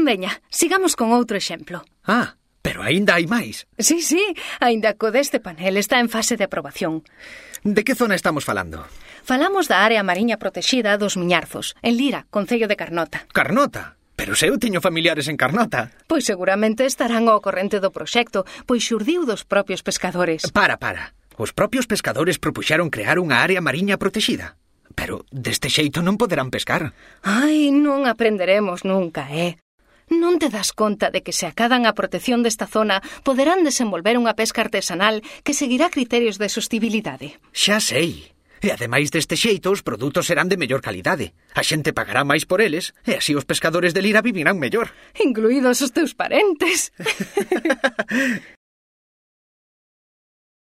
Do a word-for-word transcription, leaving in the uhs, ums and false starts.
Veña, sigamos con outro exemplo. Ah, pero aínda hai máis. Sí, sí, aínda co deste panel está en fase de aprobación. De que zona estamos falando? Falamos da área mariña protexida dos Miñarzos, en Lira, concello de Carnota. Carnota? Pero se eu teño familiares en Carnota. Pois seguramente estarán ao corrente do proxecto, pois xurdiu dos propios pescadores. Para, para. Os propios pescadores propuxeron crear unha área mariña protexida. Pero deste xeito non poderán pescar. Ai, non aprenderemos nunca, eh? Non te das conta de que se acadan a protección desta zona poderán desenvolver unha pesca artesanal que seguirá criterios de sostibilidade. Xa sei. E ademais deste xeito os produtos serán de mellor calidade. A xente pagará máis por eles e así os pescadores de Lira vivirán mellor. Incluídos os teus parentes.